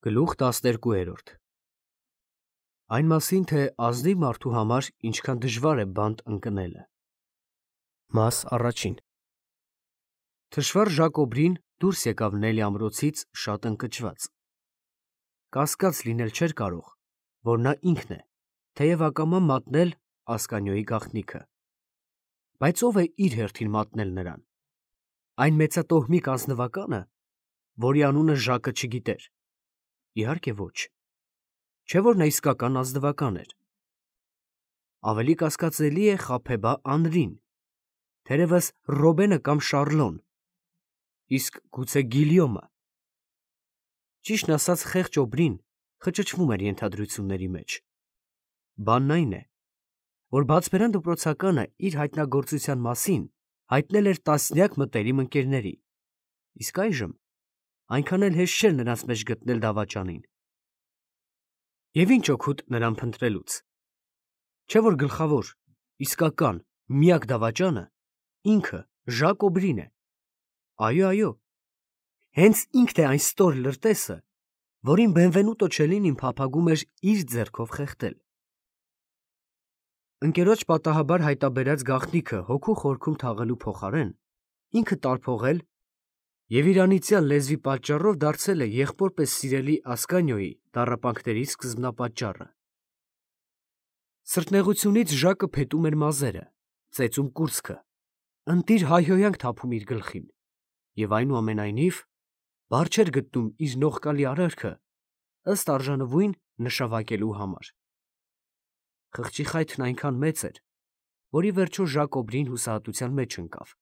Գլուխ 12 Այն մասին, թե ազնիվ մարդու համար ինչքան դժվար է բանտ ընկնելը։ Մաս առաջին Թշվառ Ժակոբրին դուրս եկավ Նելի ամրոցից շատ ընկճված։ Կասկած լինել չէր կարող, որ նա ինքն է, թեև ակամա մատնել Ասկանիոյի գաղտնիքը։ Բայց ով է իր հերթին մատնել նրան։ Այն մեծատոհմիկ ազնվակա՞նը, որի անունը Ժակը չգիտեր։ Իհարկե ոչ, չէ՞ որ նա իսկական ազնվական էր։ Ավելի կասկածելի է խաբեբա Անրին, թերևս Ռոբենը կամ Շարլոն, իսկ գուցե Գիլյոմը։ Ճիշտն ասած, խեղճ Օբրին խճճվում էր ենթադրությունների մեջ։ Բանն այն է, որ բացբերան դպրոցականը իր հայտնագործության մասին հայտնել էր տասնյակ մտերիմ ընկերների, իսկ այժմ այնքան էլ հեշտ չէր նրանց մեջ գտնել դավաճանին։ Եվ ինչ օգուտ նրան փնտրելուց։ Չէ՞ որ գլխավոր, իսկական, միակ դավաճանը ինքը Ժակոբրին է։ Այո, հենց ինքն է այն ստոր լրտեսը, որին Բենվենուտո Չելինին փափագում էր իր ձեռքով խեղդել։ Ընկերոջ պատահաբար հայտաբերած գաղտնիքը հոգու խորքում թաղելու փոխարեն ինքը տարփողել և իր անիծյալ լեզվի պատճառով դարձել է եղբոր պես սիրելի Ասկանիոյի տառապանքների սկզբնապատճառը։ Սրտնեղությունից Ժակը փետում էր մազերը, ծեծում կուրծքը, ընտիր հայհոյանք թափում իր գլխին և այնուամենայնիվ բառ չէր գտնում իր նողկալի արարքը ըստ արժանվույն նշավակելու համար։ Խղճի խայթն այնքան մեծ էր, որ ի վերջո Ժակոբրին հուսահատության մեջ ընկավ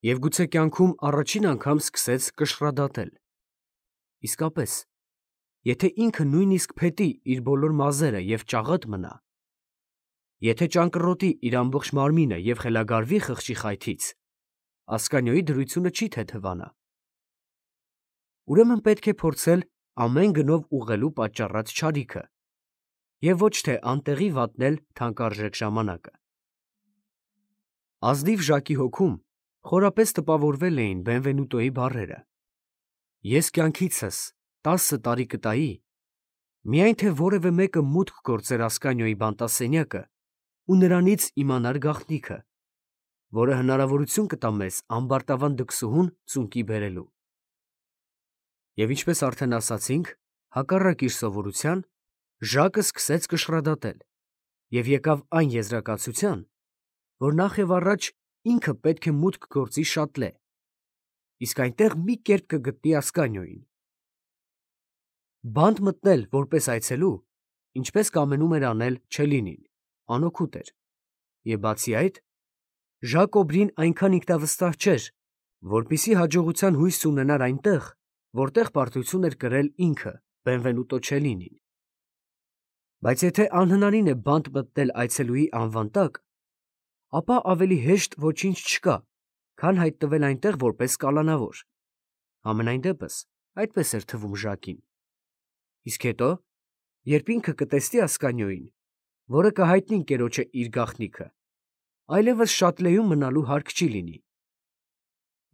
և գուցե կյանքում առաջին անգամ սկսեց կշռադատել։ Իսկապես, եթե ինքը նույնիսկ փետի իր բոլոր մազերը և ճաղատ մնա, եթե ճանկռոտի իր ամբողջ մարմինը և խելագարվի խղճի խայթից, Ասկանիոյի դրությունը չի թեթևանա։ Ուրեմն պետք է փորձել ամեն գնով ուղղելու պատճառած չարիքը և ոչ թե անտեղի վատնել թանկարժեք ժամանակը։ Ազնիվ Ժակի հոգում խորապես տպավորվել էին Բենվենուտոյի բառերը. «Ես կյանքիցս 10 տարի կտայի, միայն թե որևէ մեկը մուտք գործեր Ասկանիոյի բանտասենյակը ու նրանից իմանար գաղտնիքը, որը հնարավորություն կտա մեզ ամբարտավան դքսուհուն ծունկի բերելու»։ Եվ ինչպես արդեն ասացինք, հակառակ իր սովորության, Ժակը սկսեց կշռադատել և եկավ այն եզրակացության, որ նախ և առաջ ինքը պետք է մուտք գործի շատլե, իսկ այնտեղ մի կերպ կգտնի Ասկանիոյին։ Բանտ մտնել որպես այցելու, ինչպես կամենում էր անել Չելինին, անօգուտ էր, և բացի այդ, Ժակոբրին այնքան ինքնավստահ չէր, որպեսզի հաջողության հույս ունենար այնտեղ, որտեղ պարտություն էր կրել ինքը Բենվենուտո Չելինին։ Բայց եթե անհնարին է բանտ մտնել այցելուի անվան տակ, ապա ավելի հեշտ ոչինչ չկա, քան հայտնվել այնտեղ որպես կալանավոր։ Համենայն դեպս, այդպես էր թվում Ժակին։ Իսկ հետո, երբ ինքը կտեսնի Ասկանիոյին, որը կհայտնի ընկերոջը իր գաղտնիքը, այլևս շատլեում մնալու հարկ չի լինի։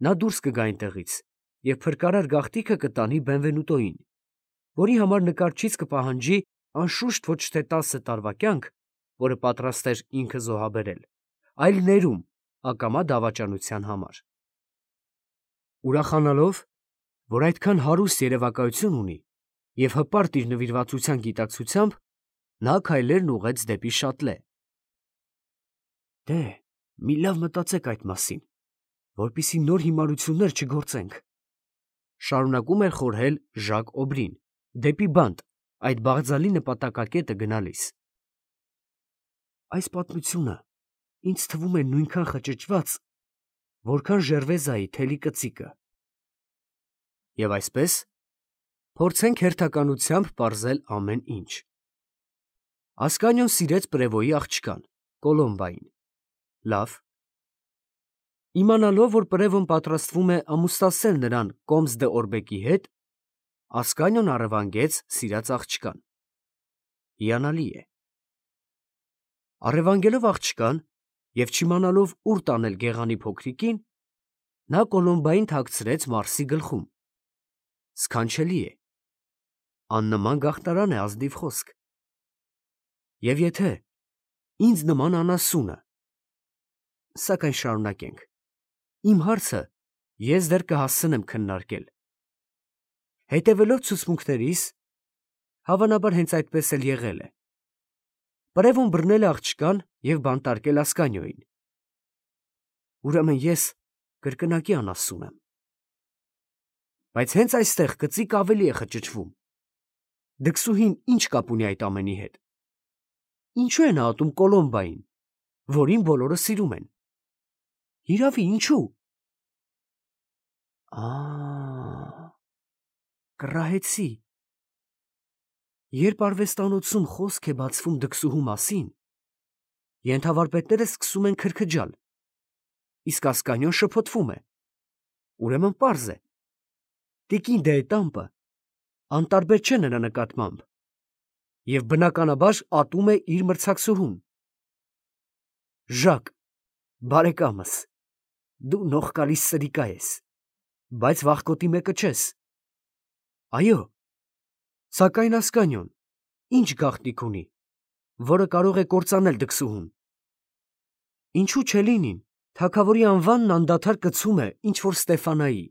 Նա դուրս կգա այնտեղից և փրկարար գաղտնիքը կտանի Բենվենուտոյին, որի համար նկարչից կպահանջի անշուշտ ոչ թե 10 տարվա կյանք, որը պատրաստ էր ինքը զոհաբերել, այլ ներում ակամա դավաճանության համար։ Ուրախանալով, որ այդքան հարուստ երևակայություն ունի և հպարտ իր նվիրվածության գիտակցությամբ, նա քայլերն ուղղեց դեպի շատլե։ «Դե, մի լավ մտածեք այդ մասին, որպեսզի նոր հիմարություններ չգործենք», շարունակում էր խորհել Ժակ Օբրին, դեպի բանտ այդ բաղձալի նպատակակետը գնալիս։ «Այս պատմությունը ինձ թվում է նույնքան խճճված, որքան Ժերվեզայի թելի կծիկը։ Եվ այսպես, փորձենք հերթականությամբ պարզել ամեն ինչ։ Ասկանիոն սիրեց Պրևոյի աղջկան, Կոլոմբային։ Լավ։ Իմանալով, որ Պրևոն պատրաստվում է ամուսնացնել նրան Կոմս դե Օրբեկի հետ, Ասկանիոն առևանգեց սիրած աղջկան։ Հիանալի է։ Առևանգելով աղջկան և չիմանալով ուր տանել գեղանի փոքրիկին, նա Կոլոմբային թաքցրեց Մարսի գլխում։ Սքանչելի է։ աննման գաղտնարան է ազնիվ խոսք։ Եվ եթե ինձ նման անասունը, սակայն շարունակենք, իմ հարցը ես դեռ կհասցնեմ քննարկել։ Հետևելով ցուցմունքներիս, հավանաբար հենց այդպես էլ եղել է, Պրևոն բռնել է աղջկան և բանտարկել Ասկանիոյին։ Ուրեմն ես կրկնակի անասուն եմ։ Բայց հենց այստեղ կծիկ ավելի է խճճվում։ Դքսուհին ինչ կապ ունի այդ ամենի հետ։ Ինչու է նա ատում Կոլոմբային, որին բոլորը սիրում են։ Հիրավի, ինչու։ Կռահեցի։ Երբ արվեստանոցում խոսք է բացվում դքսուհու մասին, ենթավարպետները սկսում են քրքջալ, իսկ Ասկանիոն շփոթվում է։ Ուրեմն պարզ է, տիկին դեետամպը անտարբեր չէ նրա նկատմամբ և բնականաբար ատում է իր մրցակցուհուն։ Ժակ, բարեկամս, դու նողկալի սրիկա ես, բայց վախկոտի մեկը չես։ Այո, սակայն Ասկանիոն ինչ գաղտնիք ունի, որը կարող է կործանել դքսուհուն։ Ինչու չլինին, թագավորի անվանն անդադար կցում է ինչ-որ Ստեֆանայի,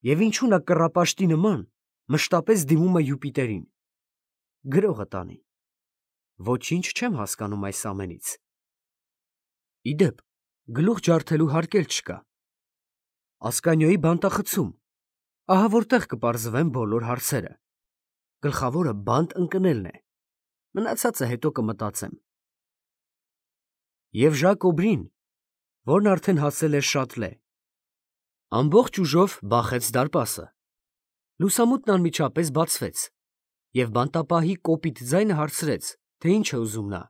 և ինչու նա կռապաշտի նման մշտապես դիմում է Յուպիտերին։ Գրողը տանի։ Ոչինչ չեմ հասկանում այս ամենից։ Ի դեպ, գլուխ ջարդելու հարկ էլ չկա։ Ասկանիոյի բանտախցում, ահա որտեղ կպարզվեն բոլոր հարցերը։ Գլխավորը բանտ ընկնելն է, մնացածը հետո կմտածեմ։ Եվ Ժակ Օբրին, որն արդեն հասել էր Շատլե, ամբողջ ուժով բախեց դարպասը։ Լուսամուտն անմիջապես բացվեց, և բանտապահի կոպիտ ձայնը հարցրեց, թե ինչ է ուզում նա։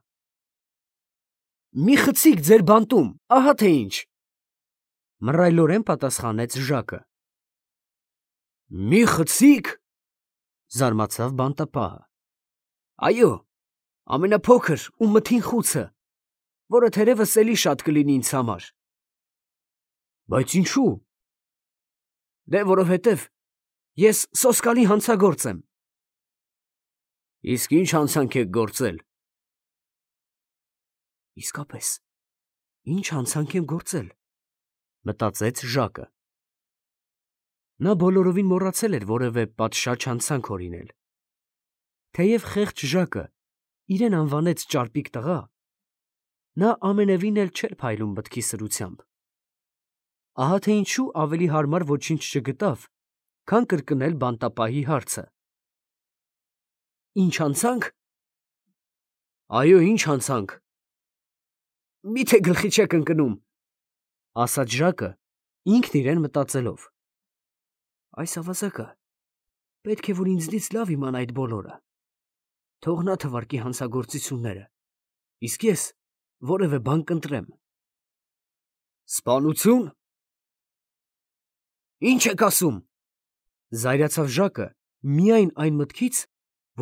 Մի խցիկ ձեր բանտում, ահա թե ինչ, մռայլորեն պատասխանեց Ժակը։ Մի խցիկ, զարմացավ բանտապահը։ Այո, ամենափոքր ու մթին խուցը, որը թերևս էլի շատ կլինի ինձ համար։ Բայց ինչու։ Դե որովհետև ես սոսկալի հանցագործ եմ։ Իսկ ինչ հանցանք եք գործել։ Իսկապես, ինչ հանցանք եմ գործել, մտածեց Ժակը։ Նա բոլորովին մոռացել էր որևէ պատշաճ հանցանք օրինել։ Թեև խեղճ Ժակը իրեն անվանեց ճարպիկ տղա, նա ամենևին էլ չէր փայլում մտքի սրությամբ։ Ահա թե ինչու ավելի հարմար ոչինչ չգտավ, քան կրկնել բանտապահի հարցը։ Ինչ հանցանք։ Այո, ինչ հանցանք։ Միթե գլխի չեք ընկնում, ասաց Ժակը, ինքն իրեն մտածելով։ Այս ավազակը պետք է որ ինձնից լավ իմանա այդ բոլորը։ Թող նա թվարկի հանցագործությունները, իսկ ես որևէ բան կընտրեմ։ Սպանություն։ Ինչ եք ասում։ Զայրացավ Ժակը միայն այն մտքից,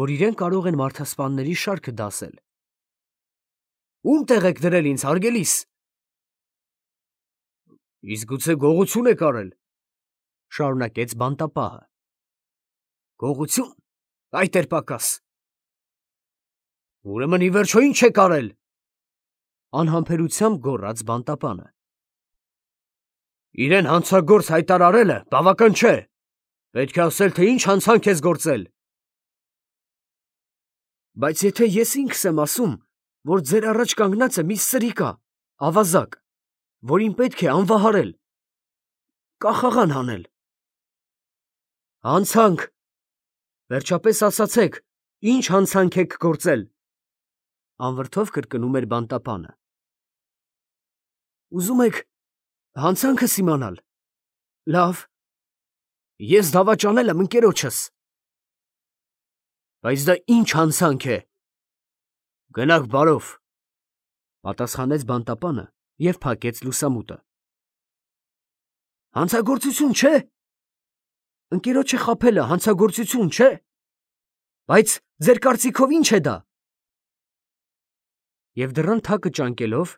որ իրեն կարող են մարդասպանների շարքը դասել։ Ում տեղ եք դրել ինձ, հարգելիս։ Իսկ գուցե գողություն եք արել, շարունակեց բանտապահը։ Գողություն, այդ էր պակաս։ Ուրեմն ի վերջո ինչ եք արել, անհամբերությամբ գոռաց բանտապանը։ Իրեն հանցագործ հայտարարելը բավական չէ, պետք է ասել, թե ինչ հանցանք ես գործել։ Բայց եթե ես ինքս եմ ասում, որ ձեր առաջ կանգնած է մի սրիկա, ավազակ, որին պետք է անվահարել, կախաղան հանել։ Հանցանք, վերջապես ասացեք, ինչ հանցանք եք գործել, անվրդով կրկնում էր բանտապանը։ Ուզում եք հանցանքս իմանալ։ Լավ, ես դավաճանել եմ ընկերոջս։ Բայց դա ինչ հանցանք է։ Գնաք բարով, պատասխանեց բանտապանը և փակեց լուսամուտը։ Հանցագործություն չէ։ Ընկերոջը խաբելը հանցագործություն չէ։ Բայց ձեր կարծիքով ինչ է դա։ Եվ դռան թակը ճանկելով,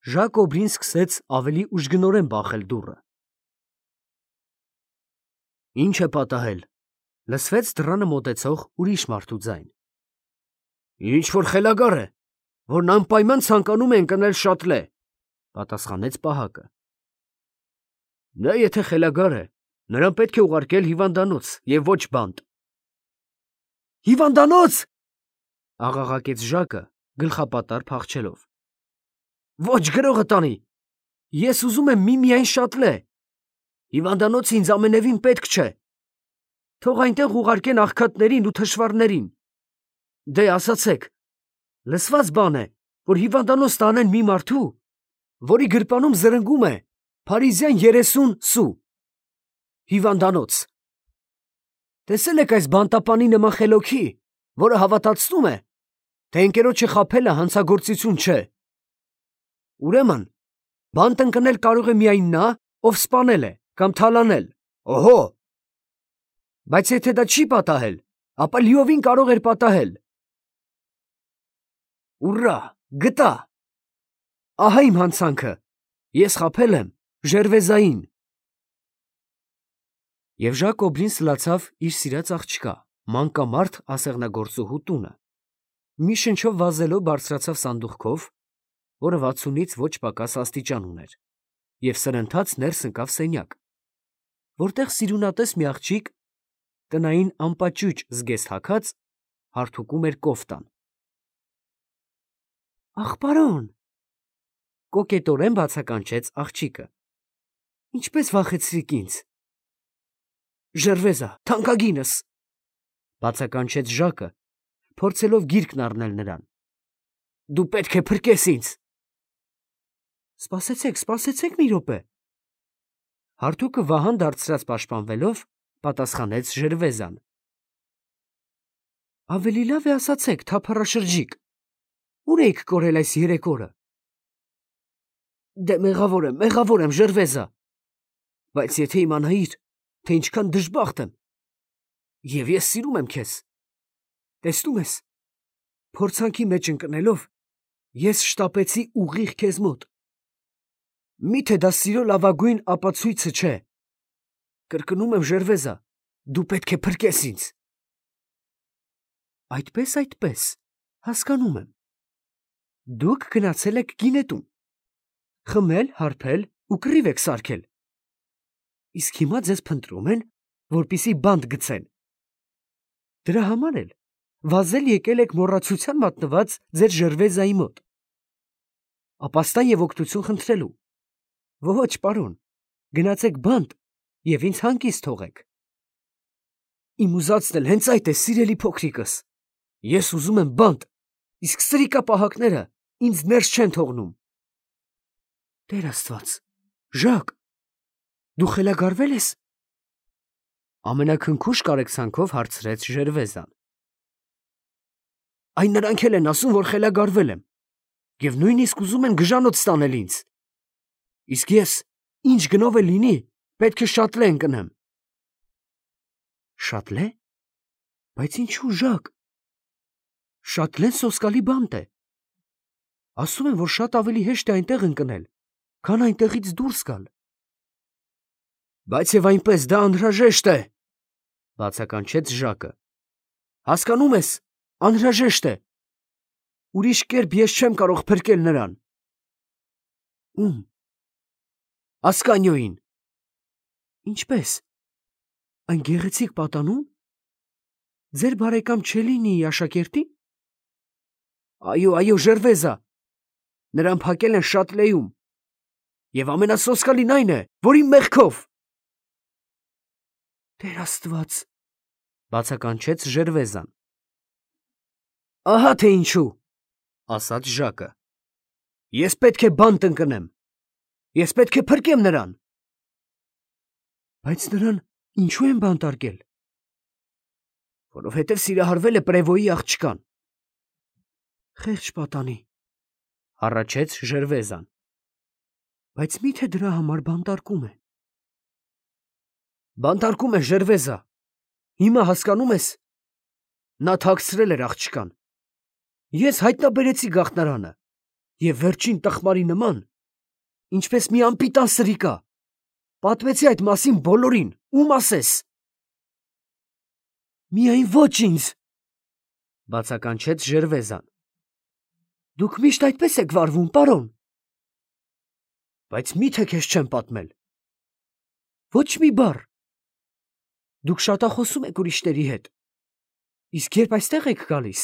Ժակ Օբրին սկսեց ավելի ուժգնորեն բախել դուռը։ Ինչ է պատահել, Լսվեց դռանը մոտեցող ուրիշ մարդու ձայն։ Ինչ որ խելագար է, որն անպայման ցանկանում է ընկնել շատլե, պատասխանեց պահակը։ Նա եթե խելագար է, նրան պետք է ուղարկել հիվանդանոց և ոչ բանտ։ Հիվանդանոց, աղաղակեց Ժակը, գլխապատար փախչելով։ Ոչ գրողը տանի, ես ուզում եմ միայն շատլե։ Հիվանդանոցը ինձ ամենևին պետք չէ։ Թող այնտեղ ուղարկեն աղքատներին ու թշվառներին։ Դե ասացեք, լսված բան է, որ հիվանդանոց տանեն մի մարդու, որի գրպանում զրնգում է Փարիզյան 30 սու։ Հիվանդանոց։ Տեսել եք այս բանտապանի նման խելոքի, որը հավատացնում է, թե ընկերոջը խաբելը հանցագործություն չէ։ Ուրեմն, բանտ ընկնել կարող է միայն նա, ով սպանել է կամ թալանել։ Օհո։ Բայց եթե դա չի պատահել, ապա լիովին կարող էր պատահել։ Ուռա, գտա։ Ահա իմ հանցանքը։ Ես խաբել եմ Ժերվեզային։ Եվ Ժակոբին սլացավ իր սիրած աղջկա, մանկամարդ ասեղնագործուհու տունը։ Մի շնչով վազելով բարձրացավ սանդուղքով, որը 60-ից ոչ պակաս աստիճան ուներ, և սրընթաց ներս ընկավ սենյակ, որտեղ սիրունատես մի աղջիկ, տնային ամպաճուճ զգեստ հագած, հարթուկում էր կոֆտան։ Ախ, պարոն, կոկետորեն բացականչեց աղջիկը։ Ինչպես վախեցրիք ինձ։ Ժերվեզա, թանկագինս, բացականչեց Ժակը, փորձելով գիրկն առնել նրան։ Դու պետք է փրկես ինձ։ Սպասեցեք մի րոպե։ Հարթուկը վահան դարձրած պաշտպանվելով, պատասխանեց Ժերվեզան։ Ավելի լավ է ասացեք, թափառաշրջիկ, ուր էիք կորել այս 3 օրը։ Դե մեղավոր եմ, Ժերվեզա, բայց եթե իմանայիր, թե ինչքան դժբախտ եմ, և ես սիրում եմ քեզ, տեսնում ես, փորձանքի մեջ ընկնելով, ես շտապեցի ուղիղ քեզ մոտ։ Միթե դա սիրո լավագույն ապացույցը չէ։ Կրկնում եմ, Ժերվեզա, դու պետք է փրկես ինձ։ Այդպես, հասկանում եմ։ Դուք գնացել եք գինետուն, խմել, հարբել ու կռիվ եք սարքել։ Իսկ հիմա ձեզ փնտրում են, որպեսզի բանտ գցեն։ Դրա համար էլ վազել եկել եք մոռացության մատնված ձեր Ժերվեզայի մոտ։ Ապաստան և օգնություն խնդրելու։ Ոչ, պարոն, գնացեք բանտ և ինձ հանգիստ թողեք։ Իմ ուզածն էլ հենց այդ է, սիրելի փոքրիկս։ Ես ուզում եմ բանտ, իսկ սրիկապահակները ինձ ներս չեն թողնում։ Տեր Աստված, Ժակ, դու խելագարվե՞լ ես։ Ամենաքնքուշ կարեկցանքով հարցրեց Ժերվեզան։ Այն նրանք էլ են ասում, որ խելագարվել եմ, և նույնիսկ ուզում են գժանոց տանել ինձ։ Իսկ ես, ինչ գնով էլ լինի, պետք է շատլե ընկնեմ։ Շատլե։ Բայց ինչու, Ժակ։ Շատլեն սոսկալի բանտ է։ Ասում են, որ շատ ավելի հեշտ է այնտեղ ընկնել, քան այնտեղից դուրս գալ։ Բայց և այնպես դա անհրաժեշտ է, բացականչեց Ժակը։ Հասկանում ես, անհրաժեշտ է։ Ուրիշ կերպ ես չեմ կարող փրկել նրան։ Ում։ Ասկանյոյին։ Ինչպես։ Այն գեղեցիկ պատանու՞մ։ Ձեր բարեկամ Չելինիի աշակերտի։ Այո, Ժերվեզա, նրան փակել են շատլեում, և ամենասոսկալին այն է, որ իմ մեղքով։ Տեր Աստված, բացականչեց Ժերվեզան։ Ահա թե ինչու, ասաց Ժակը։ Ես պետք է բանտ ընկնեմ։ Ես պետք է փրկեմ նրան։ Բայց նրան ինչու են բանտարկել։ Որովհետև սիրահարվել է Պրևոյի աղջկան։ Խեղճ պատանի, հառաչեց Ժերվեզան։ Բայց միթե դրա համար բանտարկում է։ Բանտարկում է, Ժերվեզա։ Հիմա հասկանում ես։ Նա թաքցրել էր աղջկան։ Ես հայտնաբերեցի գաղտնարանը և վերջին տխմարի նման, ինչպես մի անպիտան սրիկա, պատմեցի այդ մասին բոլորին, ում ասես։ Միայն ոչ ինձ, բացականչեց Ժերվեզան։ Դուք միշտ այդպես եք վարվում, պարոն։ Բայց մի՞թե քեզ չեմ պատմել։ Ոչ մի բառ։ Դուք շատախոսում եք ուրիշների հետ։ Իսկ երբ այստեղ եք գալիս,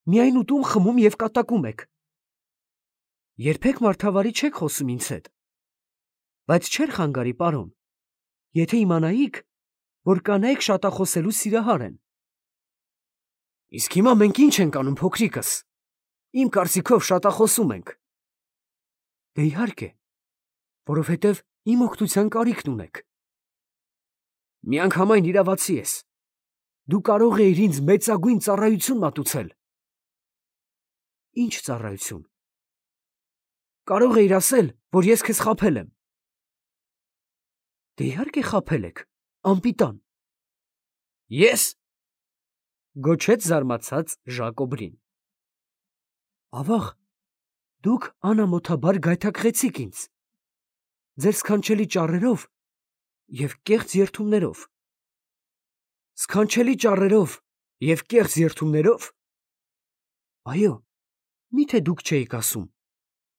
միայն ուտում, խմում և կատակում եք։ Երբեք մարդավարի չեք խոսում ինձ հետ։ Բայց չէր խանգարի, պարոն, եթե իմանայիք, որ կանայք շատախոսելու սիրահար են։ Իսկ հիմա մենք ինչ ենք անում, փոքրիկս։ Իմ կարծիքով շատախոսում ենք։ Դե իհարկե, որովհետև իմ օգնության կարիքն ունեք։ Միանգամայն իրավացի ես։ Դու կարող էիր ինձ մեծագույն ծառայություն մատուցել։ Ինչ ծառայություն։ Կարող էիր ասել, որ ես քեզ խաբել եմ։ Դե իհարկե խաբել եք, անպիտան։ Ես, գոչեց զարմացած Ժակոբրին։ Ավաղ, դուք անամոթաբար գայթակղեցիք ինձ, ձեր սքանչելի ճառերով և կեղծ երդումներով։ Սքանչելի ճառերով և կեղծ երդումներով։ Այո, միթե դուք չէիք ասում,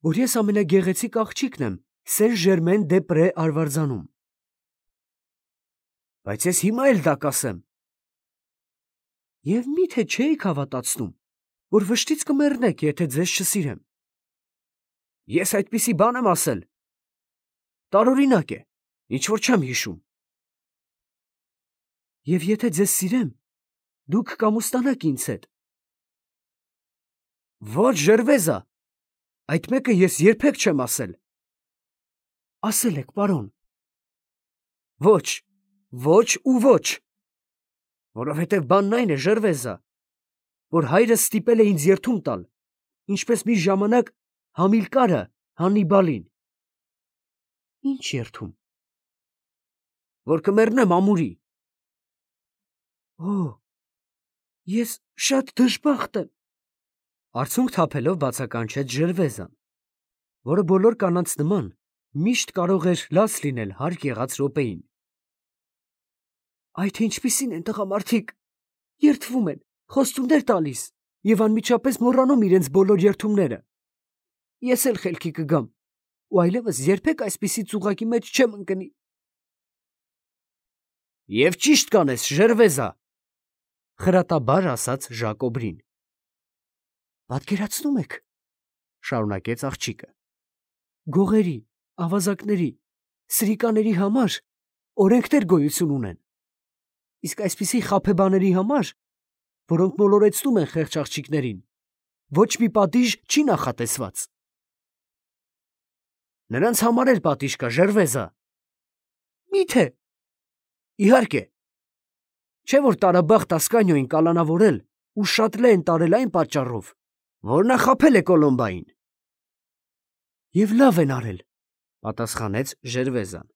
որ ես ամենագեղեցիկ աղջիկն եմ Սեն-Ժերմեն-դե-Պրե արվարձանում։ Բայց ես հիմա էլ դա կասեմ։ Եվ միթե չէիք հավատացնում, որ վշտից կմեռնեք, եթե ձեզ չսիրեմ։ Ես այդպիսի բան եմ ասել։ Տարօրինակ է, ինչ որ չեմ հիշում։ Եվ եթե ձեզ սիրեմ, դուք կամուստանաք ինձ հետ։ Ոչ, Ժերվեզա, այդ մեկը ես երբեք չեմ ասել։ Ասել եք, պարոն։ Ոչ, ոչ ու ոչ։ Որովհետև բանն այն է, Ժերվեզա, որ հայրս ստիպել է ինձ երդում տալ, ինչպես մի ժամանակ Համիլկարը Հաննիբալին։ Ինչ երդում։ Որ կմեռնեմ ամուրի։ Օ, ես շատ դժբախտ եմ, արցունք թափելով բացականչեց Ժերվեզան, որը բոլոր կանանց նման միշտ կարող էր լաց լինել հարկ եղած րոպեին։ Այդ ինչպիսին են տղամարդիկ, երդվում են, խոստումներ տալիս և անմիջապես մոռանում իրենց բոլոր երդումները։ Ես էլ խելքի կգամ ու այլևս երբեք այսպիսի ծուղակի մեջ չեմ ընկնի։ Եվ ճիշտ կանես, Ժերվեզա, խրատաբար ասաց Ժակոբրին։ Պատկերացնում եք, շարունակեց աղջիկը, գողերի, ավազակների, սրիկաների համար օրենքներ գոյություն ունեն, իսկ այսպիսի խաբեբաների համար, որոնք մոլորեցնում են խեղճ աղջիկներին, ոչ մի պատիժ չի նախատեսված։ Նրանց համար էլ պատիժ կա, Ժերվեզա։ Մի՞թե։ Իհարկե։ Չէ՞ որ տարաբախտ Ասկանիոին կալանավորել ու շատ լե են տարել այն պատճառով, որ նա խաբել է Կոլոմբային։ Եվ լավ են արել, պատասխանեց Ժերվեզան։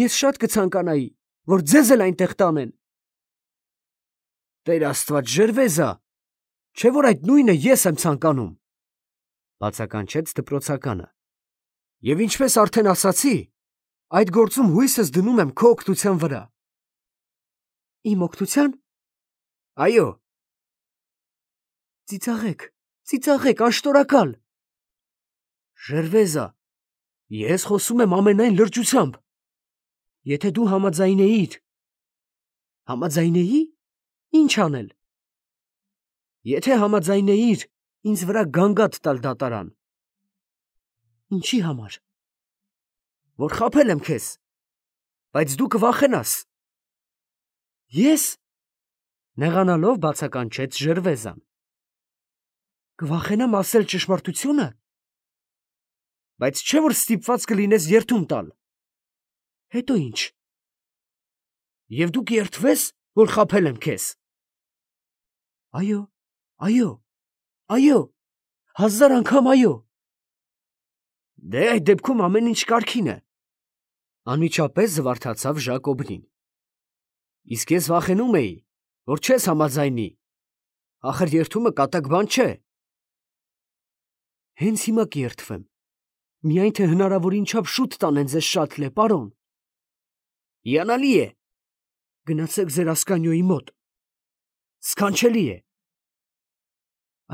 Ես շատ կցանկանայի, որ ձեզ էլ այնտեղ տանեն։ Տեր Աստված, Ժերվեզա, չէ՞ որ այդ նույնը ես եմ ցանկանում, բացականչեց դպրոցականը։ Եվ ինչպես արդեն ասացի, այդ գործում հույսս դնում եմ քո օգնության վրա։ Իմ օգնության։ Այո։ Ծիծաղեք, ծիծաղեք, աշտորակալ։ Ժերվեզա, ես խոսում եմ ամենայն լրջությամբ։ Եթե դու համաձայնեիր։ Համաձայնեի՞։ Ինչ անել։ Եթե համաձայնեիր ինձ վրա գանգատ տալ դատարան։ Ինչի համար։ Որ խաբել եմ քեզ, բայց դու կվախենաս։ Ես, նեղանալով բացականչեց Ժերվեզան։ Կվախենամ ասել ճշմարտությունը։ Բայց չէ՞ որ ստիպված կլինես երդում տալ։ Հետո ինչ։ Եվ դու կերդվես, որ խաբել եմ քեզ։ Այո, այո, այո, 1000 անգամ այո։ Դե այդ դեպքում ամեն ինչ կարգին է։ Անմիջապես զվարթացավ Ժակոբրին։ Իսկ ես վախենում էի, որ չես համաձայնի։ Ախր երդումը կատակ բան չէ։ Հենց հիմա կերդվեմ։ Միայն թե հնարավորին չափ շուտ տանեն ձեզ շատրլե, պարոն։ Հիանալի է։ Գնացեք ձեր ասկանյոյի մոտ։ Սքանչելի է։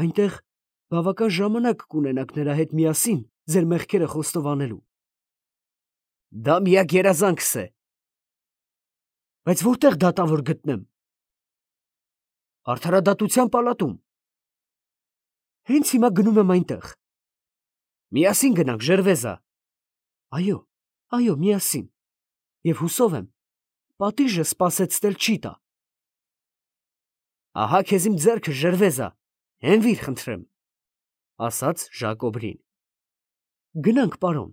Այնտեղ բավական ժամանակ կունենաք նրա հետ միասին ձեր մեղքերը խոստովանելու։ Դա միակ երազանքս է։ Բայց որտեղ դատավոր գտնեմ։ Արդարադատության պալատում։ Հենց հիմա գնում եմ այնտեղ։ Միասին գնանք, Ժերվեզա։ Այո, այո, միասին։ Եվ հուսով եմ, պատիժը սպասեցնել չի տա։ Ահա քեզ իմ ձեռքը, Ժերվեզա, հենվիր, խնդրեմ, ասաց Ժակոբրին։ Գնանք, պարոն։